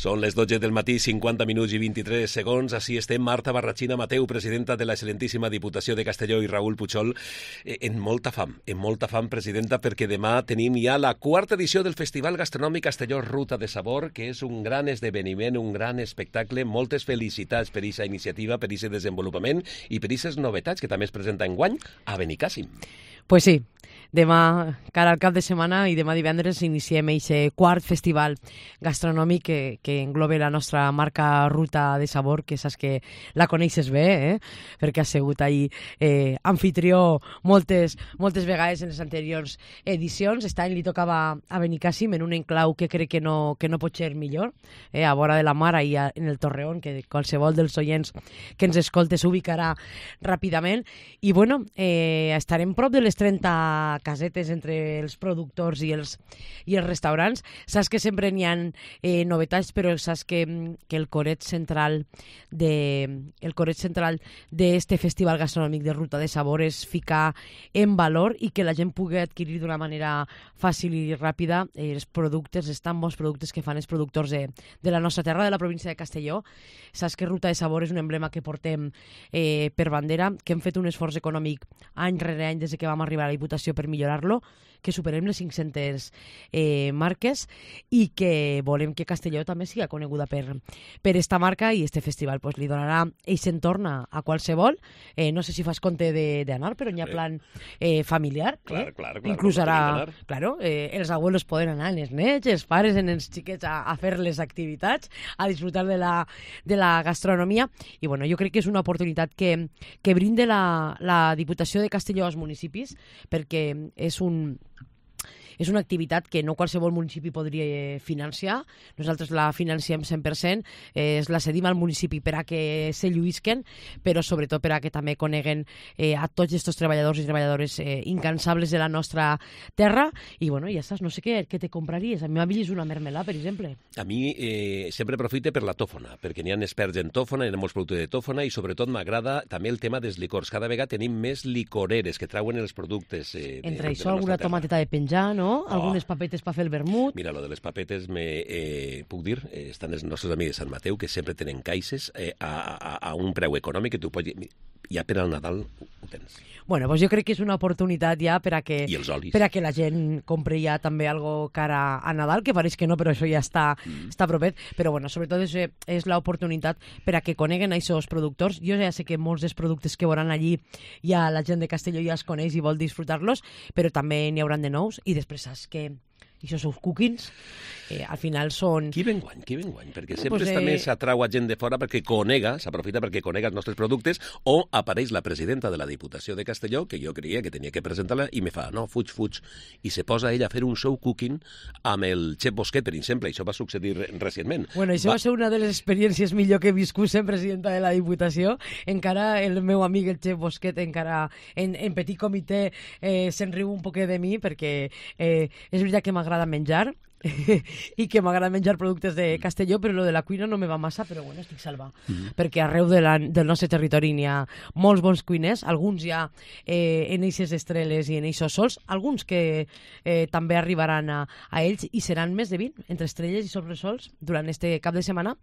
Són les 12 del matí, 50 minuts i 23 segons. Així estem Marta Barrachina Mateu, presidenta de l'excel·lentíssima Diputació de Castelló, i Raül Puchol, en molta fam, presidenta, perquè demà tenim ja la quarta edició del Festival Gastronòmic Castelló Ruta de Sabor, que és un gran esdeveniment, un gran espectacle. Moltes felicitats per aquesta iniciativa, per aquest desenvolupament i per aquestes novetats que també es presenta enguany a Benicàssim. Pues sí, demà, cara al cap de setmana, i demà divendres iniciem aquest quart festival gastronòmic que engloba la nostra marca Ruta de Sabor, que saps que la coneixes bé, perquè has sigut ahí anfitrió moltes vegades en les anteriors edicions. Aquest any li tocava a Benicàssim, en un enclau que crec que no pot ser millor, a vora de la mar, ahí en el Torreón, que qualsevol dels oients que ens escolta s'ubicarà ràpidament. I bueno, estarem prop de les 30 casetes entre els productors i els restaurants. Saps que sempre n'hi ha novetats, però saps que el coret central d'este festival gastronòmic de Ruta de Sabor és ficar en valor i que la gent pugui adquirir d'una manera fàcil i ràpida els productes, els tan bons productes que fan els productors de la nostra terra, de la província de Castelló. Saps que Ruta de Sabor és un emblema que portem per bandera, que hem fet un esforç econòmic any rere any des que vam arribar a la Diputació per millorar-lo, que superem les 500 marques i que volem que Castelló també siga coneguda per esta marca, i este festival pues, li donarà aquest entorn a qualsevol. No sé si fas compte d'anar, però n'hi ha plan familiar. Clar. Inclús ara, els abuelos poden anar, els nets, els pares, els xiquets a fer les activitats, a disfrutar de la gastronomia. I bueno, jo crec que és una oportunitat que brinda la Diputació de Castelló als municipis, perquè és una activitat que no qualsevol municipi podria financiar. Nosaltres la financiem 100%, la cedim al municipi per a que se lluïsquen, però sobretot per a que també coneguen a tots aquests treballadors i treballadores incansables de la nostra terra. I bueno, ja saps, no sé què te compraries. A mi m'havies una mermelà, per exemple. A mi sempre aprofite per la tòfona, perquè n'hi ha experts en tòfona, hi ha molts productes de tòfona, i sobretot m'agrada també el tema dels licors. Cada vegada tenim més licoreres que trauen els productes entre això alguna tomateta de penjar, no? Algunes papetes per fer el vermut. Mira, lo de les papetes, puc dir, estan els nostres amics de Sant Mateu, que sempre tenen caixes a un preu econòmic que tu pots... Ja per al Nadal ho tens. Bueno, doncs jo crec que és una oportunitat ja per a que la gent compri ja també algo cara a Nadal, que pareix que no, però això ja està propet. Però bueno, sobretot és l'oportunitat per a que coneguen aquests productors. Jo ja sé que molts dels productes que veuran allí ja la gent de Castelló ja els coneix i vol disfrutar-los, però també n'hi hauran de nous. I després saps que això són cookings, al final són... Qui ve enguany? Perquè sempre també s'atrau a gent de fora perquè s'aprofita perquè conega els nostres productes, o apareix la presidenta de la Diputació de Castelló, que jo creia que tenia que presentar-la, i me fa, no, fuig, i se posa ella a fer un show cooking amb el Chef Bosquet, per exemple. Això va succeir recentment. Bueno, això va ser una de les experiències millor que he viscut sent presidenta de la Diputació. Encara el meu amic, el Chef Bosquet, encara en petit comitè se'n riu un poquet de mi, perquè és veritat que m'agrada menjar i que m'agrada menjar productes de Castelló, però lo de la cuina no me va massa, però bueno, estic salva, perquè arreu del nostre territori n'hi ha molts bons cuiners, alguns ja en eixes estreles i en eixos sols, alguns que també arribaran a ells, i seran més de 20 entre estrelles i sobresols durant este cap de setmana,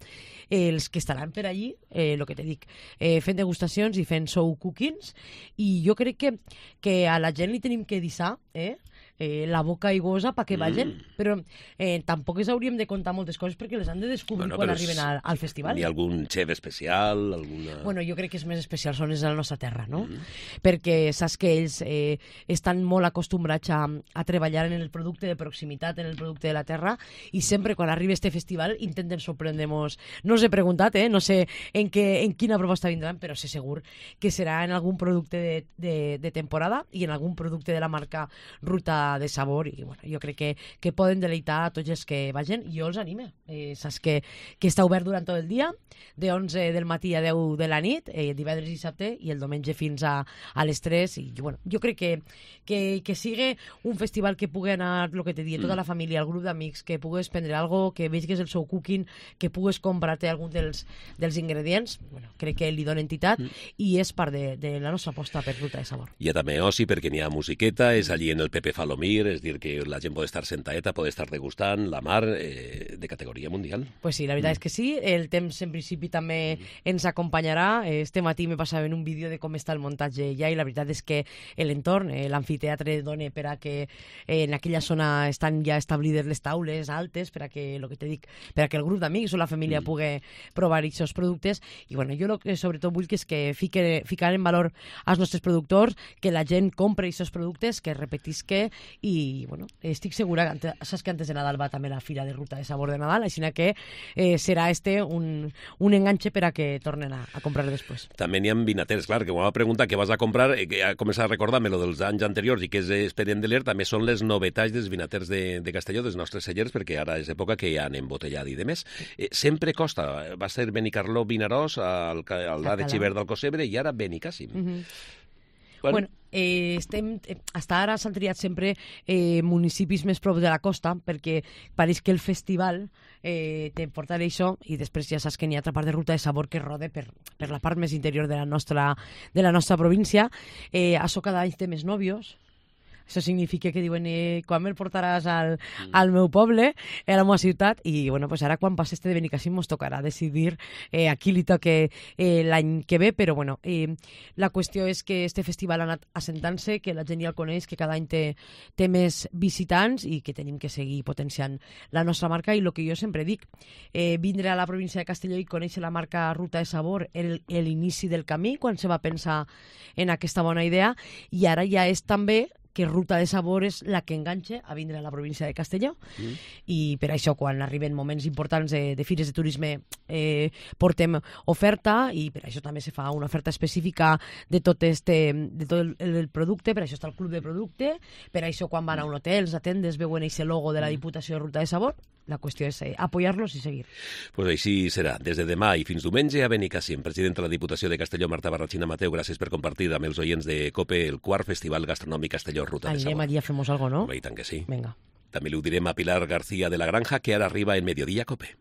els que estaran per allí, el que te dic, fent degustacions i fent show cookings. I jo crec que a la gent li tenim que deixar la boca aiguosa perquè vagin, però tampoc ens hauríem de contar moltes coses perquè les han de descobrir quan arriben al festival. Hi ha algun xef especial? Bueno, jo crec que els més especials són els de la nostra terra, no? Perquè saps que ells estan molt acostumbrats a treballar en el producte de proximitat, en el producte de la terra, i sempre quan arriba este festival intenten sorprendre-nos. No us he preguntat, no sé en quina proposta vindran, però sé segur que serà en algun producte de temporada i en algun producte de la marca Ruta de Sabor, i bueno, jo crec que poden deleitar a tots els que vagin. Jo els anime. Saps que està obert durant tot el dia, de 11 del matí a 10 de la nit, divendres i dissabte, i el diumenge fins a les 3. I bueno, jo crec que sigui un festival que pugui anar, el que te dic, tota la família, el grup d'amics, que pugues prendre algo, que veigues el seu cooking, que pugues comprar-te algun dels ingredients. Bueno, crec que li dona entitat i és part de la nostra aposta per Ruta de Sabor. Hi ha també oci perquè n'hi ha musiqueta, és allí en el Pepe Falo dormir, és dir, que la gent pot estar sentaeta, pot estar degustant la mar de categoria mundial. Pues sí, la veritat és que sí. El temps en principi també ens acompanyarà. Este matí me passava en un vídeo de com està el muntatge ja, i la veritat és que l'entorn, l'amfiteatre dona per a que en aquella zona estan ja establides les taules altes per a que, el que te dic, per a que el grup d'amics o la família pugui provar aquests productes. I bueno, jo el que sobretot vull que és que ficar en valor als nostres productors, que la gent compri aquests productes, que repetisque, i bueno, estic segura que saps que antes de Nadal va també la Fira de Ruta de Sabor de Nadal, així que serà un enganxe per a que tornen a comprar després. També n'hi ha vinaters, clar, que quan va preguntar què vas a comprar, que ha començat a recordar-me lo dels anys anteriors i que és expedient de l'ER, també són les novetats dels vinaters de Castelló, dels nostres cellers, perquè ara és època que ja han embotellat i de més. Sempre costa. Va ser Benicarló, Vinaròs, al de Xivert d'Alcossebre i ara Benicàssim. Bueno, hasta ara s'han triat sempre municipis més prop de la costa, perquè pareix que el festival te portarà això, i després ja saps que n'hi ha altra part de Ruta de Sabor que rode per la part més interior de la nostra província. Això cada any té més nòvios. Això significa que diuen, quan me'l portaràs al meu poble, a la meva ciutat, i bueno, pues ara quan passi de Benicàssim ens tocarà decidir a qui li toque l'any que ve, però bueno, la qüestió és que este festival ha anat assentant-se, que la gent ja el coneix, que cada any té més visitants i que tenim que seguir potenciant la nostra marca, i el que jo sempre dic, vindre a la província de Castelló i conèixer la marca Ruta de Sabor l'inici del camí, quan se va pensar en aquesta bona idea, i ara ja és també que Ruta de Sabor és la que enganxa a vindre a la província de Castelló. I per això, quan arriben moments importants de fires de turisme, portem oferta, i per això també se fa una oferta específica de tot el producte. Per això està el club de producte, per això quan van a un hotel, a tendes, veuen aquest logo de la Diputació de Ruta de Sabor. La qüestió és apoyar-los i seguir. Pues així serà. Des de demà i fins diumenge a Benicàssim. Presidenta de la Diputació de Castelló, Marta Barrachina Mateu, gràcies per compartir amb els oients de COPE el quart Festival Gastronòmic Castelló Ruta de Sabor. Anem allí a fer-nos algo, no? I tant que sí. Vinga. També li ho direm a Pilar García de la Granja, que ara arriba en Mediodía COPE.